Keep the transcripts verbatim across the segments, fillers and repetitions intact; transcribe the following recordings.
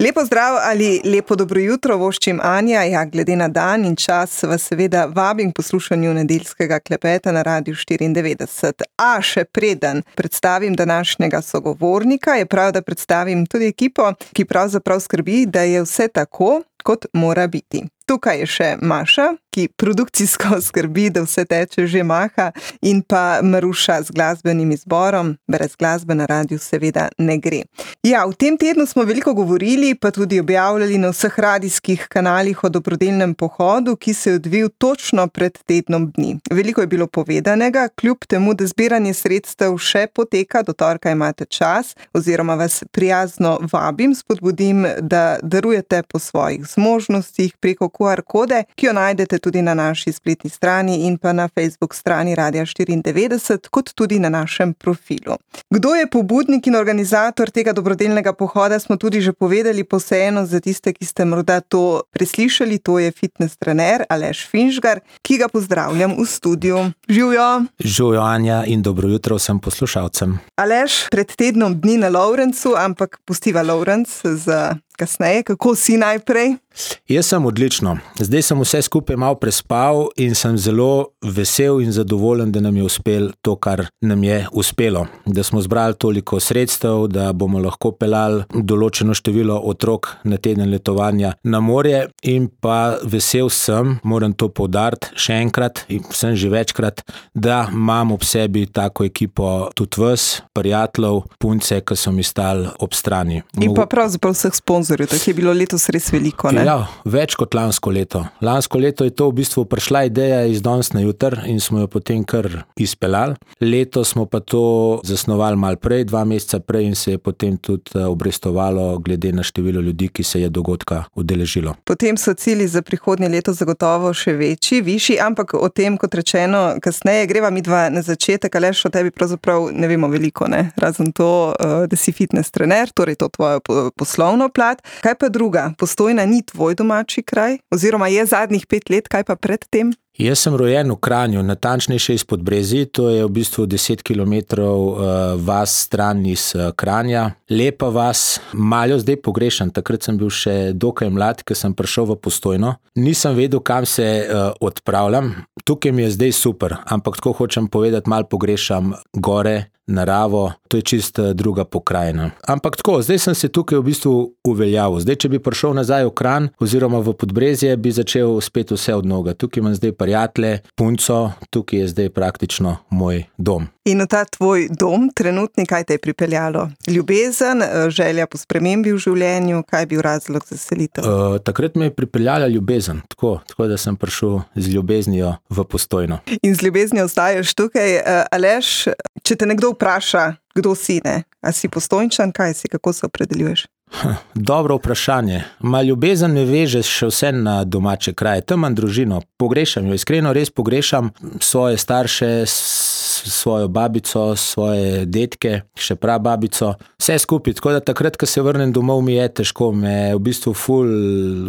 Lepo zdrav ali lepo dobro jutro, voščim Anja. Ja, glede na dan in čas vas seveda vabim k poslušanju nedeljskega klepeta na Radiu štiriindevetdeset. A še preden predstavim današnjega sogovornika, je prav, da predstavim tudi ekipo, ki pravzaprav skrbi, da je vse tako, kot mora biti. Tukaj je še Maša, ki produkcijsko skrbi, da vse teče že maha, in pa Maruša z glasbenim izborom. Brez glasbe na radiju seveda ne gre. Ja, v tem tednu smo veliko govorili, pa tudi objavljali na vseh radijskih kanalih o dobrodelnem pohodu, ki se je odvil točno pred tednom dni. Veliko je bilo povedanega, kljub temu, da zbiranje sredstev še poteka, do torka imate čas, oziroma vas prijazno vabim, spodbudim, da darujete po svojih zmožnostih preko Q R kode, ki jo najdete tudi na naši spletni strani in pa na Facebook strani Radia štiriindevetdeset, kot tudi na našem profilu. Kdo je pobudnik in organizator tega dobrodelnega pohoda, smo tudi že povedali, pa vseeno za tiste, ki ste morda to preslišali, to je fitness trener Aleš Finžgar, ki ga pozdravljam v studiu. Živjo! Živjo, Anja, in dobro jutro vsem poslušalcem. Aleš, pred tednom dni na Lovrencu, ampak pustiva Lovrenc za kasneje. Kako si najprej? Jaz sem odlično. Zdaj sem vse skupaj malo prespal in sem zelo vesel in zadovoljen, da nam je uspelo to, kar nam je uspelo. Da smo zbrali toliko sredstev, da bomo lahko peljali določeno število otrok na teden letovanja na morje, in pa vesel sem, moram to poudariti še enkrat, in sem že večkrat, da imam ob sebi tako ekipo tudi vas, prijateljev, punce, ki so mi stali ob strani. In pa pravzaprav vseh sponzorjev, tako je bilo letos res veliko, ne? Ja, več kot lansko leto. Lansko leto je to v bistvu prišla ideja iz danes na jutr in smo jo potem kar izpeljali. Letos smo pa to zasnovali malo prej, dva meseca prej, in se je potem tudi obrestovalo glede na število ljudi, ki se je dogodka udeležilo. Potem so cilji za prihodnje leto zagotovo še večji, višji, ampak o tem, kot rečeno, kasneje. Greva midva na začetek. Aleš, o tebi pravzaprav ne vemo veliko, ne? Razen to, da si fitness trener, torej to tvojo poslovno plat. Kaj pa druga? Postojna ni tvoj domači kraj? Oziroma je zadnjih pet let, kaj pa pred tem? Jaz sem rojen v Kranju, natančnejše iz Podbrezij, to je v bistvu deset kilometrov uh, vas stran iz uh, Kranja. Lepa vas, malo zdaj pogrešam, takrat sem bil še dokaj mlad, ko sem prišel v Postojno. Nisem vedel, kam se uh, odpravljam, tukaj mi je zdaj super, ampak tako hočem povedati, malo pogrešam gore, naravo, to je čist druga pokrajina. Ampak tako, zdaj sem se tukaj v bistvu uveljavil. Zdaj, če bi prišel nazaj v Kranj oziroma v Podbrezje, bi začel spet vse od noga. Tukaj imam zdaj prijatelje, punco, tukaj je zdaj praktično moj dom. In v ta tvoj dom, trenutni, kaj te je pripeljalo? Ljubezen, želja po spremembi v življenju, kaj je bil razlog za selitev? Uh, takrat me je pripeljala ljubezen, tako, tako da sem prišel z ljubeznijo v Postojno. In z ljubeznijo ostaješ tukaj. Uh, Aleš, če te nekdo vpraša, kdo si, ne? A si Postojnčan, kaj si, kako se opredeljuješ? Dobro vprašanje. Ma ljubezen me veže še vse na domače kraje. Tam imam družino, pogrešam jo, iskreno res pogrešam svoje starše, svojo babico, svoje detke, še prababico, vse skupaj. Tako da takrat, ko se vrnem domov, mi je težko, me v bistvu ful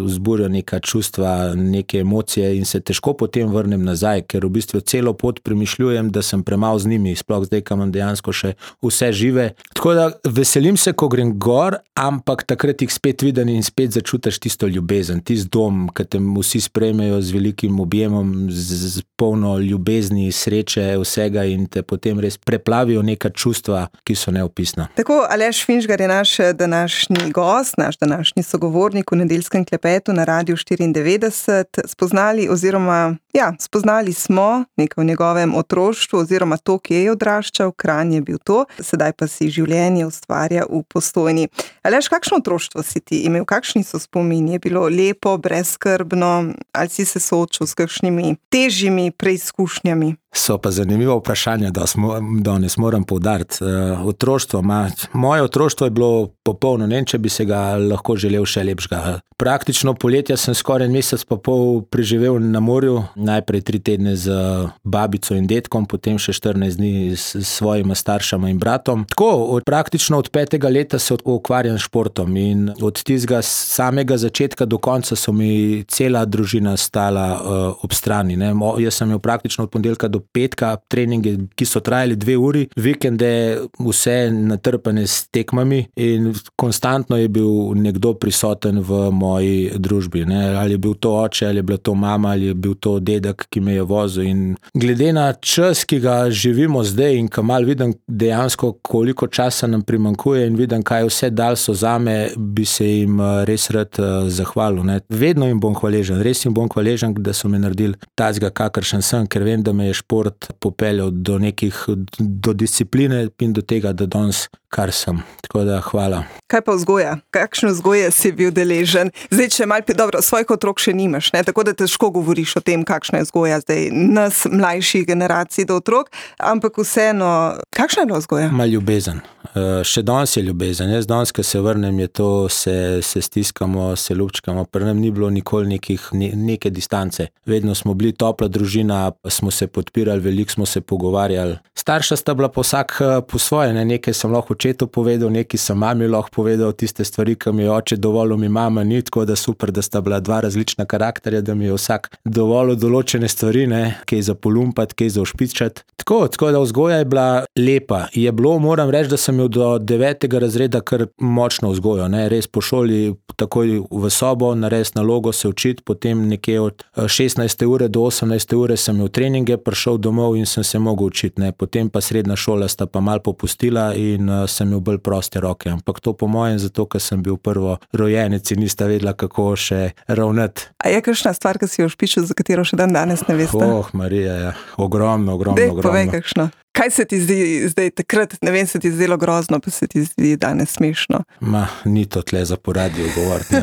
vzburja neka čustva, neke emocije in se težko potem vrnem nazaj, ker v bistvu celo pot premišljujem, da sem premalo z njimi, sploh zdaj, ko imam dejansko še vse žive. Tako da veselim se, ko grem gor, ampak takrat jih spet vidim in spet začutiš tisto ljubezen, tisti dom, ki te vsi sprejmejo z velikim objemom, z, z polno ljubezni, sreče, vsega, in te potem res preplavijo neka čustva, ki so neopisna. Tako, Aleš Finžgar je naš današnji gost, naš današnji sogovornik v nedeljskem klepetu na Radiu štiriindevetdeset. Spoznali oziroma, ja, spoznali smo nekaj v njegovem otroštvu oziroma to, kje je odraščal, Kranj je bil to, sedaj pa si življenje ustvarja v Postojni. Aleš, kakšno otroštvo si ti imel? Kakšni so spomini? Je bilo lepo, brezskrbno, ali si se soočil s kakšnimi težjimi preizkušnjami? So pa zanimivo vprašanje, da smo, danes moram poudariti. Uh, otroštvo, ma, moje otroštvo je bilo popolno, ne vem, če bi se ga lahko želel še lepšega. Praktično poletja sem skoraj mesec pa pol preživel na morju, najprej tri tedne z babico in detkom, potem še štirinajst dni s svojima staršama in bratom. Tako, od, praktično od petega leta se ukvarjam s športom in od tistega samega začetka do konca so mi cela družina stala uh, ob strani. Ne. Jaz sem imel praktično od ponedeljka do petka treningi, ki so trajali dve uri, vikende vse natrpane s tekmami in konstantno je bil nekdo prisoten v moji družbi. Ne? Ali je bil to oče, ali je bila to mama, ali je bil to dedek, ki me je vozil. In glede na čas, ki ga živimo zdaj in ko malo vidim dejansko, koliko časa nam primanjkuje in vidim, kaj vse dal so zame, bi se jim res rad zahvalil. Ne? Vedno jim bom hvaležen, res jim bom hvaležen, da so me naredili tazga, kakršen sem, ker vem, da me je šport popeljal do nekih, do discipline in do tega, da danes kar sem. Tako da hvala. Kaj pa vzgoja? Kakšno vzgoje si bil deležen? Zdaj, če malo, dobro, svojih otrok še nimaš, ne? Tako da težko govoriš o tem, kakšna je vzgoja zdaj nas, mlajših generacij do otrok, ampak vseeno, kakšna je bila vzgoja? Ma ljubezen. Uh, še danes je ljubezen. Jaz danes, ko se vrnem, je to, se, se stiskamo, se ljubčkamo. Pri nam ni bilo nikoli nekih, ne, neke distance. Vedno smo bili topla družina, smo se podpirali, veliko smo se pogovarjali. Starša sta bila pa vsak po svoje, ne? Nekaj sem lahko očetu povedal, nekaj sem mami lahko povedal, tiste stvari, ki mi je oče dovolil, mi mama ni, tako da super, da sta bila dva različna karakterja, da mi je vsak dovolil določene stvari, ne? Kaj za polumpati, kaj za ošpičati. Tako, tako da vzgoja je bila lepa. Je bilo, moram reči, da sem do devetega razreda kar močno vzgojo, ne, res po šoli takoj v sobo, narediti nalogo, se učiti, potem nekje od šestnajste ure do osemnajste ure sem imel treninge, prišel domov in sem se mogel učiti, ne, potem pa srednja šola sta pa malo popustila in uh, sem imel bolj proste roke, ampak to po mojem zato, ker sem bil prvo rojenec in nista vedela, kako še ravnati. A je kakšna stvar, ki si jo špičil, za katero še dan danes ne veste? Oh, Marija, ja. ogromno, ogromno, Dej, ogromno. Povej kakšno. Kaj se ti zdi zdaj takrat, ne vem, se ti zdelo grozno, pa se ti zdi danes smešno? Ma, ni to tle za po radiju govoriti.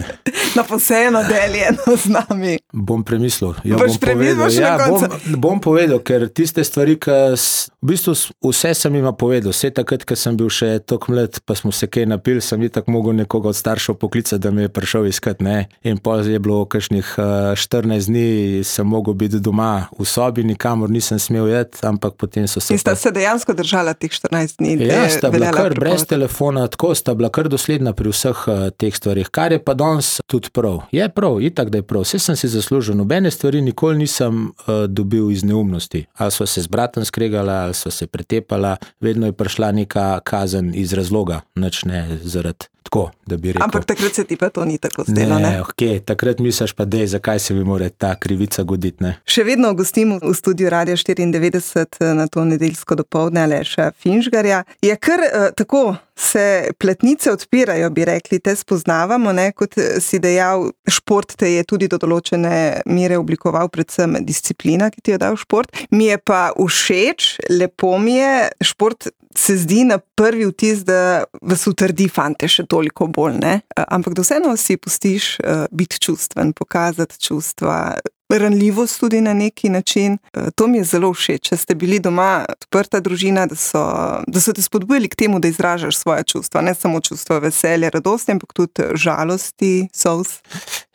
No, pa vseeno deljeno z nami. Bom premislil. Ja, Boš bom premislil povedal. še Ja, na koncu? bom, bom povedal, ker tiste stvari, ki v bistvu vse sem jima povedal. Vse takrat, ko sem bil še toliko mlad, pa smo se kaj napili, sem itak mogel nekoga od staršev poklicati, da me je prišel iskat, ne. In pol je bilo kakšnih štirinajst dni, sem mogel biti doma v sobi, nikamor nisem smel jeti, ampak potem so se... In sta se dejansko držala teh štirinajst dni? Ja, sta bila kar brez telefona, tako sta bila kar dosledna pri vseh uh, teh stvarih, kar je pa danes tudi prav. Je prav, itak, da je prav. Vse sem si zaslužil, nobene stvari nikoli nisem uh, dobil iz neumnosti. Ali sva se z bratom skregala, ali sva se pretepala, vedno je prišla neka kazen iz razloga, nič ne zaradi. Tako, da bi rekel. Ampak takrat se ti pa to ni tako zdelo, ne? Ne, ok, takrat misliš pa, dej, zakaj se mi mora ta krivica goditi, ne? Še vedno gostimo v studiu Radia štiriindevetdeset na to nedeljsko dopoldne Aleša Finžgarja. Je kar uh, tako, se pletnice odpirajo, bi rekli, te spoznavamo, ne? Kot si dejal, šport te je tudi do določene mere oblikoval, predvsem disciplina, ki ti jo dal šport. Mi je pa všeč, lepo mi je, šport se zdi na prvi vtis, da vas utrdi fante še toliko bolj, ne? Ampak da vseeno si pustiš uh, biti čustven, pokazati čustva, ranljivost tudi na neki način. To mi je zelo všeč, če ste bili doma odprta družina, da so, da so te spodbujali k temu, da izražaš svoje čustva, ne samo čustva veselja, radosti, ampak tudi žalosti, solz.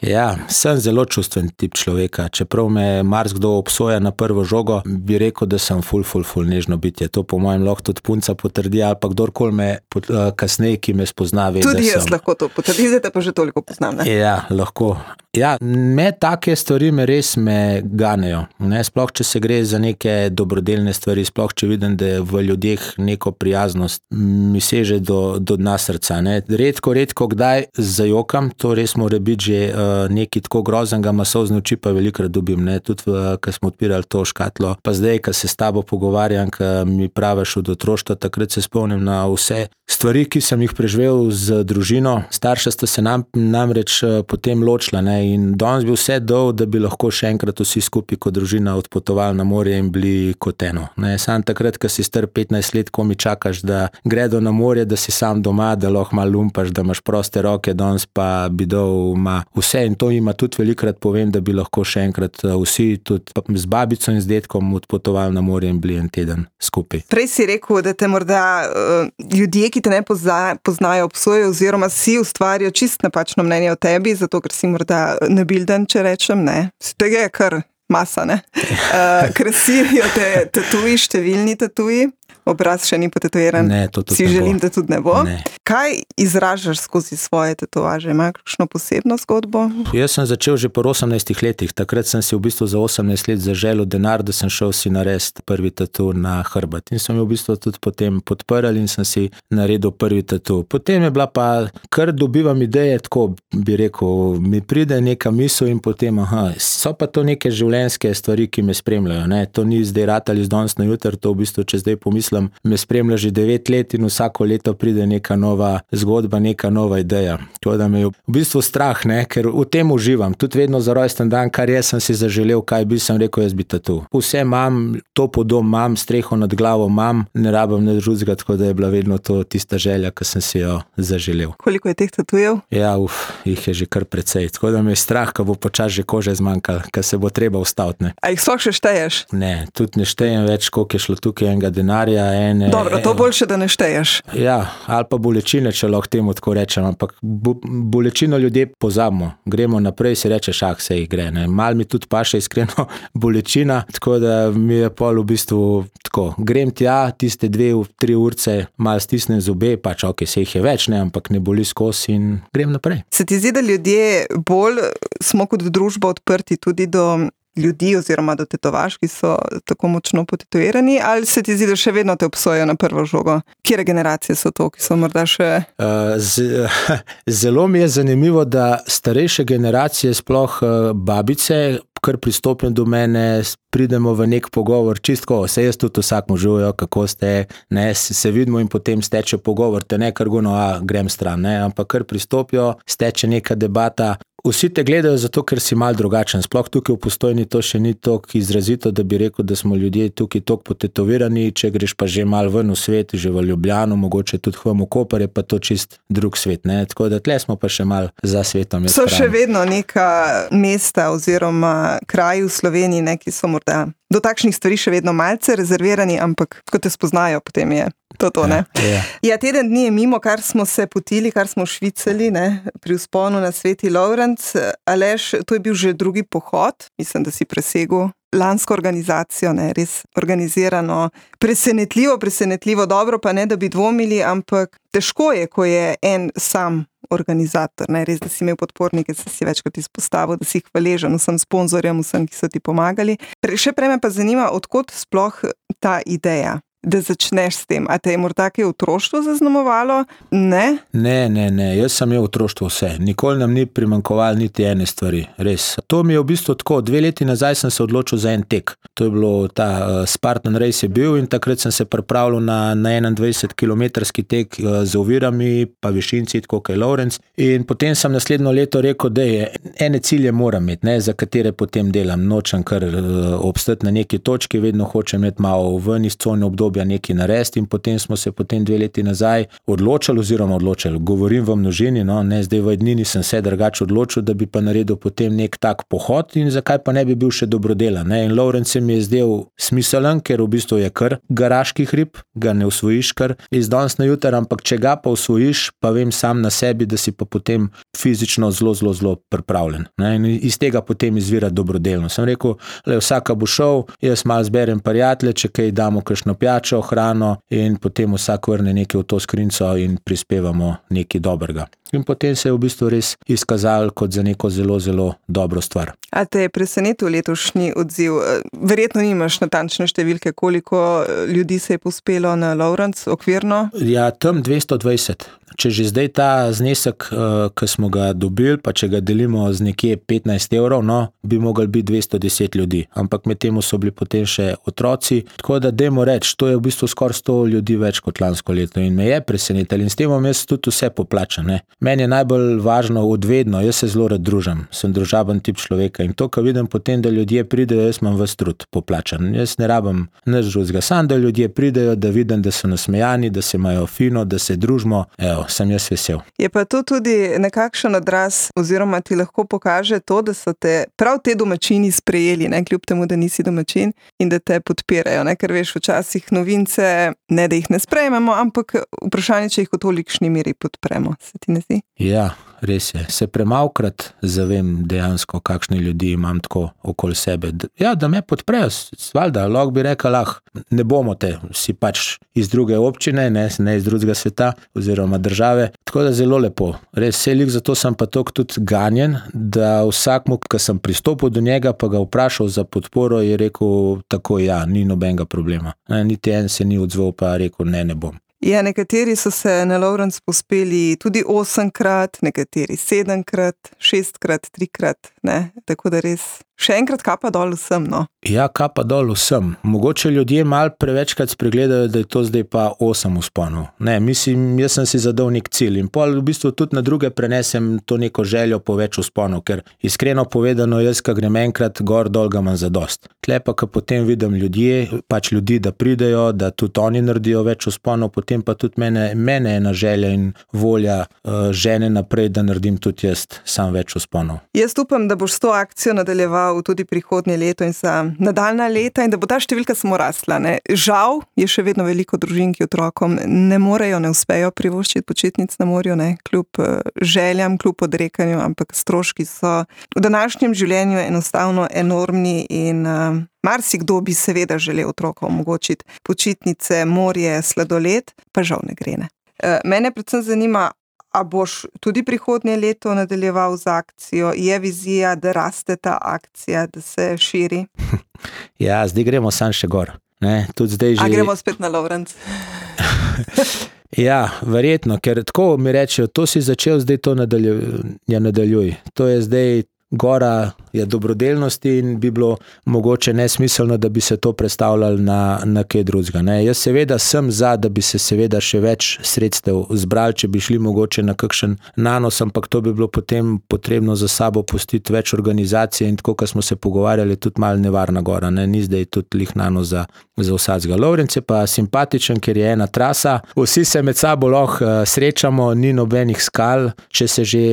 Ja, sem zelo čustven tip človeka, čeprav me marsikdo obsoja na prvo žogo, bi rekel, da sem ful, ful, ful nežno bitje. To po mojem lahko tudi punca potrdi, ali pa kdorkoli me uh, kasneje, ki me spozna, ve, tudi da jaz sem. Lahko to potrdi, zdaj te pa že toliko poznam, ne? Ja, lahko. Ja, me take stvari me res me ganejo. Ne? Sploh, če se gre za neke dobrodelne stvari, sploh, če vidim, da je v ljudeh neko prijaznost, mi seže do, do dna srca. Ne? Redko, redko kdaj zajokam, to res mora biti že uh, nekaj tako groznega, masovzne oči pa velikrat dobim. Ne? Tudi, ko smo odpirali to škatlo, pa zdaj, ko se s tabo pogovarjam, ko mi praviš od otroštva, takrat se spomnim na vse stvari, ki sem jih preživel z družino. Starša sta se nam, namreč potem ločila, ne? In danes bi vse dal, da bi lahko še enkrat vsi skupaj kot družina odpotovali na morje in bili kot eno. Ne? Sam takrat, ko si star petnajst let, ko mi čakaš, da gredo na morje, da si sam doma, da lahko malo lumpaš, da imaš proste roke, danes pa bi dal ma vse in to ima tudi velikrat povem, da bi lahko še enkrat vsi tudi z babico in z detkom odpotovali na morje in bili en teden skupaj. Prej si rekel, da te morda uh, ljudje, ki te ne pozna, poznajo, obsojajo oziroma si ustvarijo čist napačno mnenje o tebi, zato ker si morda nabilden, če rečem, ne. Tega je kar masa, ne. Uh, krasijo te tatuji, številni tatuji. obraz še ni potetoviran. Ne, to tudi si ne želim, bo. da tudi ne bo. Ne. Kaj izražaš skozi svoje tetovaže? Ima kakšno posebno zgodbo? Jaz sem začel že po osemnajstih letih. Takrat sem si v bistvu za osemnajst let zaželel denar, da sem šel si narediti prvi tatu na hrbet. In sem jo v bistvu tudi potem podprl in sem si naredil prvi tatu. Potem je bila pa, kar dobivam ideje, tako bi rekel, mi pride neka misel in potem, aha, so pa to neke življenjske stvari, ki me spremljajo. Ne? To ni zdaj ratali z danes na jutr, to v bistvu, če zdaj pomislim, me spremlja že devet let in vsako leto pride neka nova zgodba, neka nova ideja. Tako da me je v bistvu strah, ne? Ker v tem uživam. Tudi vedno za rojsten dan, kar jaz sem si zaželel, kaj bi sem rekel, jaz bi tatu. Vse imam, topel dom imam, streho nad glavo imam, ne rabim nič drugega, tako da je bila vedno to tista želja, ki sem si jo zaželel. Koliko je teh tatujev? Ja, uf, jih je že kar precej. Tako da me je strah, ko bo počas že kože zmanjkalo, ker se bo treba ustaviti. Ne. A jih sploh še šteješ? Ne, tudi ne štejem več, koliko je šlo tukaj enega denarja. Ene, Dobro, to boljše, da ne šteješ. Ja, ali pa bolečine, če lahko temu tako rečem, ampak bo, bolečino ljudje pozabimo. Gremo naprej, si rečeš, ah, se jih gre. Ne. Mal mi tudi paše iskreno bolečina, tako da mi je pol v bistvu tako. Grem tja, tiste dve, tri urce, mal stisnem zobe, pač ok, se jih je več, ne, ampak ne boli skozi in grem naprej. Se ti zdi, da ljudje bolj smo kot družba odprti tudi do ljudi oziroma do tetovaž, ki so tako močno potetovirani, ali se ti zdi, da še vedno te obsojajo na prvo žogo? Kjere generacije so to, ki so morda še... Uh, z, zelo mi je zanimivo, da starejše generacije, sploh uh, babice, kar pristopim do mene, pridemo v nek pogovor, čistko, se jaz tudi vsakmu žujo, kako ste, ne, se vidimo in potem steče pogovor, te ne kar gono, a grem stran, ne, ampak kar pristopijo, steče neka debata. Vsi te gledajo zato, ker si mal drugačen. Sploh tukaj v Postojni to še ni toliko izrazito, da bi rekel, da smo ljudje tukaj toliko potetovirani, če greš pa že mal ven v svet, že v Ljubljano, mogoče tudi v Koper, je pa to čist drug svet, ne. Tako da tle smo pa še mal za svetom. So še vedno neka mesta oziroma kraji v Sloveniji, ne, ki so morda do takšnih stvari še vedno malce rezervirani, ampak ko te spoznajo, potem je to to, ne. Ja, ja. Ja, teden dni je mimo, kar smo se potili, kar smo švicali, ne, pri vzponu na Sveti Lovrenc. Aleš, to je bil že drugi pohod, mislim, da si presegel lansko organizacijo, ne, res organizirano, presenetljivo, presenetljivo, dobro, pa ne, da bi dvomili, ampak težko je, ko je en sam organizator, ne, res, da si imel podpornike, da si večkrat izpostavil, da si jih hvaležen vsem sponzorjem, vsem, ki so ti pomagali. Pre, še prej me pa zanima, odkot sploh ta ideja, da začneš s tem. A te je morda kaj otroštvo zaznamovalo? Ne? Ne, ne, ne. Jaz sem imel otroštvo vse. Nikoli nam ni primanjkovalo niti ene stvari. Res. To mi je v bistvu tako. Dve leti nazaj sem se odločil za en tek. To je bilo ta uh, Spartan Race je bil in takrat sem se pripravljal na, na enaindvajset kilometrski tek uh, z ovirami, pa višinci, tako kot je Lovrenc. In potem sem naslednjo leto rekel, da je ene cilje moram imeti, ne, za katere potem delam. Nočem kar uh, obstati na neki točki, vedno hočem imeti malo ven iz cone obdobja nekaj narediti in potem smo se potem dve leti nazaj odločili oziroma odločili. Govorim v množini, no, ne, zdaj v ednini sem se drugače odločil, da bi pa naredil potem nek tak pohod in zakaj pa ne bi bil še dobrodelan, ne. In Lovrenc se mi je zdel smiselen, ker v bistvu je kar garaški hrib, ga ne osvojiš kar iz danes na jutr, ampak če ga pa osvojiš, pa vem sam na sebi, da si pa potem fizično zelo, zelo, zelo pripravljen, ne. In iz tega potem izvira dobrodelno. Sem rekel, le vsaka bo šel, jaz malo zberem prijatelje, če kaj damo kakšno pijačo, hrano in potem vsak vrne nekaj v to skrinco in prispevamo nekaj dobrega. In potem se je v bistvu res izkazalo kot za neko zelo, zelo dobro stvar. A te je presenetil letošnji odziv? Verjetno nimaš natančne številke, koliko ljudi se je pospelo na Lovrenc okvirno? Ja, tam dvesto dvajset. Če že zdaj ta znesek, ki smo ga dobili, pa če ga delimo z nekje petnajst evrov, no, bi mogli biti dvesto deset ljudi. Ampak med temu so bili potem še otroci. Tako da dajmo reči, to je v bistvu skoraj sto ljudi več kot lansko leto in me je presenetil in s tem bom jaz tudi vse poplačan, ne. Meni je najbolj važno odvedno, jaz se zelo rad družim, sem družaben tip človeka in to, ko vidim potem, da ljudje pridejo, jaz imam ves trud poplačan. Jaz ne rabim nič drugega, samo da ljudje pridejo, da vidim, da so nasmejani, da se imajo fino, da se družimo, evo, sem jaz vesel. Je pa to tudi nekakšen odraz oziroma ti lahko pokaže to, da so te prav te domačini sprejeli, ne, kljub temu, da nisi domačin in da te podpirajo, ne, ker veš, včasih novince, ne da jih ne sprejmemo, ampak vprašanje, če jih v tolikšni meri podpremo. Se ti ne zdi. Ja, res je. Se premalkrat zavem dejansko, kakšne ljudi imam tako okoli sebe. Ja, da me podprejo, valjda, lahko bi rekel, lah, ne bomo te, si pač iz druge občine, ne, ne iz drugega sveta oziroma države. Tako da zelo lepo. Res, selik, zato sem pa toliko tudi ganjen, da vsakmu, ki sem pristopil do njega, pa ga vprašal za podporo, je rekel tako, ja, ni nobenega problema. Ne, niti en se ni odzval, pa rekel, ne, ne bom. Ja, nekateri so se na Lovrenc pospeli tudi osemkrat, nekateri sedemkrat, šestkrat, trikrat, ne, tako da res še enkrat kapa dol vsem, no. Ja, kapa dol vsem. Mogoče ljudje malo prevečkrat spregledajo, da je to zdaj pa osem vzponov. Ne, mislim, jaz sem si zadal nek cilj in pol v bistvu tudi na druge prenesem to neko željo po več vzponov, ker iskreno povedano, jaz, ko grem enkrat gor, dol ga imam zadost. Tle pa, ko potem vidim ljudje, pač ljudi, da pridejo, da tudi oni naredijo več vzponov, potem pa tudi mene, mene ena želja in volja uh, žene naprej, da naredim tudi jaz sam več vzponov. Jaz upam, da boš s to akcijo nadaljeval tudi prihodnje leto in za nadaljna leta in da bo ta številka samo rasla. Ne? Žal je še vedno veliko družin, ki otrokom ne morejo, ne uspejo privoščiti počitnic na morju, ne? Kljub željam, kljub odrekanju, ampak stroški so v današnjem življenju enostavno enormni in uh, marsikdo bi seveda želel otrokom omogočiti počitnice, morje, sladoled, pa žal ne gre. Ne? Uh, mene predvsem zanima, a boš tudi prihodnje leto nadaljeval z akcijo? Je vizija, da raste ta akcija, da se širi? Ja, zdaj gremo sam še gor. Ne, tudi zdaj že... A gremo spet na Lovrenc? Ja, verjetno, ker tako mi rečejo, to si začel, zdaj to nadaljuj. Ja, nadaljuj. To je zdaj gora je dobrodelnosti in bi bilo mogoče nesmiselno, da bi se to predstavljali na, na kaj drugega. Ne? Jaz seveda sem za, da bi se seveda še več sredstev zbrali, če bi šli mogoče na kakšen nanos, ampak to bi bilo potem potrebno za sabo pustiti več organizacije in tako, ko smo se pogovarjali, tudi malo nevarna gora. Ne? Ni zdaj tudi lih nanos za, za vsadzga. Lovrenc je pa simpatičen, ker je ena trasa. Vsi se med sabo lahko srečamo, ni nobenih skal, če se že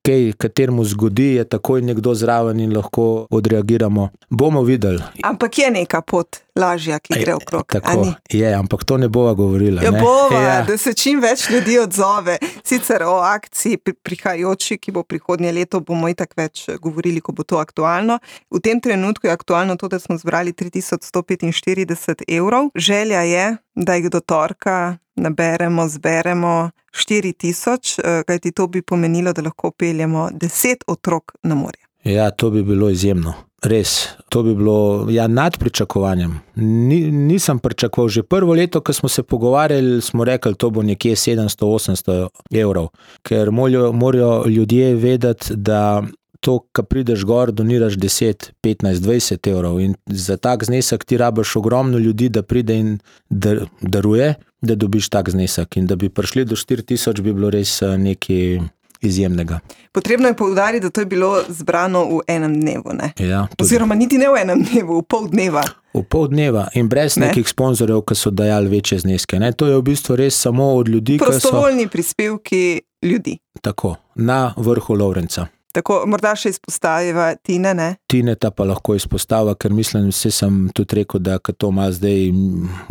kaj, kateremu zgodi, je takoj nekdo zraven in lahko odreagiramo. Bomo videli. Ampak je neka pot lažja, ki gre okrog. Tako je, ampak to ne bova govorila. Ja, ne? bova, ja. Da se čim več ljudi odzove. Sicer o akciji prihajajoči, ki bo prihodnje leto, bomo itak več govorili, ko bo to aktualno. V tem trenutku je aktualno to, da smo zbrali tri tisoč sto petinštirideset evrov. Želja je, da jih do torka naberemo, zberemo štiri tisoč, kajti to bi pomenilo, da lahko peljemo deset otrok na morje. Ja, to bi bilo izjemno. Res, to bi bilo ja, nad pričakovanjem. Ni, nisem pričakoval. Že prvo leto, ko smo se pogovarjali, smo rekli, to bo nekje sedemsto osemsto evrov. Ker morajo, morajo ljudje vedeti, da to, ko prideš gor, doniraš deset, petnajst, dvajset evrov in za tak znesek ti rabiš ogromno ljudi, da pride in dar, daruje, da dobiš tak znesek. In da bi prišli do štiri tisoč, bi bilo res nekaj izjemnega. Potrebno je poudariti, da to je bilo zbrano v enem dnevu, ne? Ja, oziroma niti ne v enem dnevu, v pol dneva. V pol dneva in brez ne? nekih sponzorjev, ki so dajali večje zneske. Ne? To je v bistvu res samo od ljudi, prostovoljni so... prispevki ljudi. Tako, na vrhu Lovrenca. Tako, morda še izpostaviva Tine, ne? Tineta pa lahko izpostava, ker mislim, vse sem tudi rekel, da ko to malo zdaj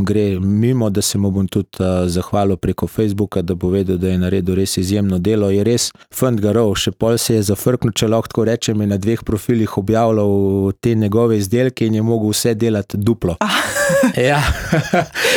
gre mimo, da se mu bom tudi uh, zahvalil preko Facebooka, da bo vedel, da je naredil res izjemno delo. Je res fant garov, še pol se je zafrknil, če lahko tako rečem, in na dveh profilih objavljal te njegove izdelke in je mogel vse delati duplo. Ja.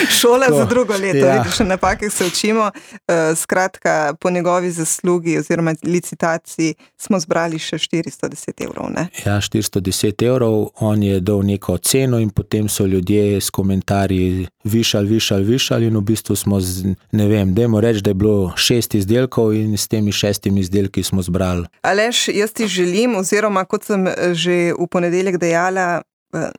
Šola za drugo leto, ja. Vidiš, napake se učimo. Uh, skratka, po njegovi zaslugi oziroma licitaciji smo zbrali še štiristo deset evrov, ne? Ja, štiristo deset evrov, on je dal neko ceno in potem so ljudje s komentarji višali, višali, višali in v bistvu smo, z, ne vem, dajmo reči, da je bilo šest izdelkov in s temi šestimi izdelki smo zbrali. Aleš, jaz ti želim, oziroma kot sem že v ponedeljek dejala,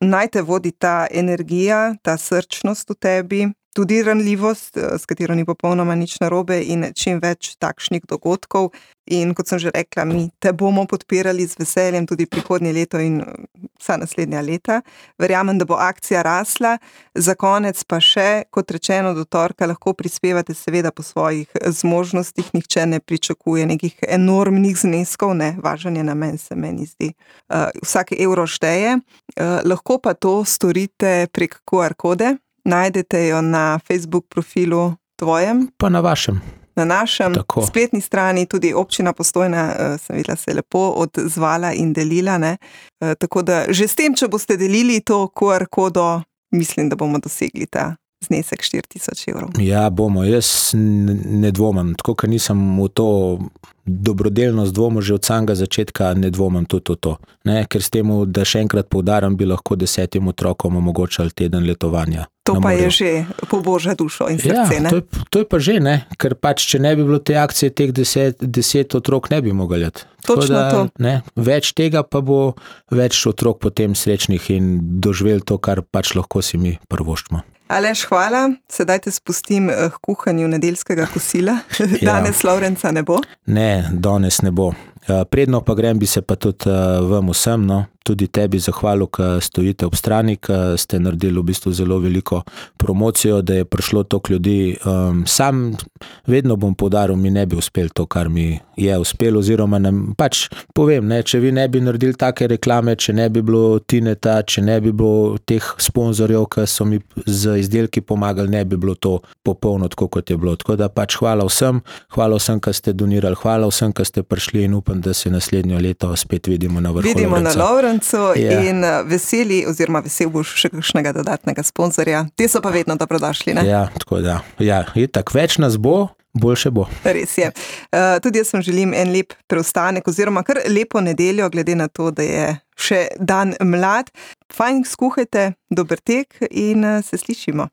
naj te vodi ta energija, ta srčnost v tebi, tudi ranljivost, s katero ni popolnoma nič narobe in čim več takšnih dogodkov. In kot sem že rekla, mi te bomo podpirali z veseljem tudi prihodnje leto in vsa naslednja leta. Verjamem, da bo akcija rasla. Za konec pa še, kot rečeno, do torka lahko prispevate seveda po svojih zmožnostih. Nihče ne pričakuje nekih enormnih zneskov, ne, važen je namen, se meni zdi. Uh, vsak evro šteje. Uh, lahko pa to storite prek Q R kode. Najdete jo na Facebook profilu tvojem. Pa na vašem. na našem Tako. spletni strani, tudi občina Postojna, sem videla, se je lepo odzvala in delila, ne. Tako da že s tem, če boste delili to Q R kodo, mislim, da bomo dosegli ta znesek štiri tisoč evrov. Ja, bomo, jaz ne dvomim, tako ker nisem v to dobrodelnost dvomil že od samega začetka, ne dvomim tudi v to. Ne, ker s temu, da še enkrat poudarim, bi lahko desetim otrokom omogočali teden letovanja. To pa je že po božjo dušo in srce, ja, ne? To je, to je pa že, ne, ker pač, če ne bi bilo te akcije, teh deset, deset otrok ne bi mogli jeti. Točno da, to. Ne, več tega pa bo več otrok potem srečnih in doživeli to, kar pač lahko si mi privoščimo. Aleš, hvala. Sedaj te spustim k kuhanju nedeljskega kosila. Danes ja. Lovrenca ne bo? Ne, danes ne bo. Predno pa grem, bi se pa tudi vam vsem, no, tudi tebi zahvalil, ki stojite ob strani, ki ste naredili v bistvu zelo veliko promocijo, da je prišlo toliko ljudi. Um, sam vedno bom poudaril, mi ne bi uspel to, kar mi je uspelo, oziroma ne, pač povem, ne, če vi ne bi naredili take reklame, če ne bi bilo Tineta, če ne bi bilo teh sponzorjev, ki so mi z izdelki pomagali, ne bi bilo to popolno tako, kot je bilo. Tako da pač hvala vsem, hvala vsem, ki ste donirali, hvala vsem, ki ste prišli in upam, da se naslednjo leto spet vidimo na vrhu Vidimo Lovrenca. na Lovrencu ja. In veseli, oziroma vesel boš še kakšnega dodatnega sponzorja. Te so pa vedno dobrodošli, ne? Ja, tako da. Ja, itak, več nas bo, boljše bo. Res je. Uh, tudi jaz vam želim en lep preostanek, oziroma kar lepo nedeljo, glede na to, da je še dan mlad. Fajn skuhajte, dober tek in uh, se slišimo.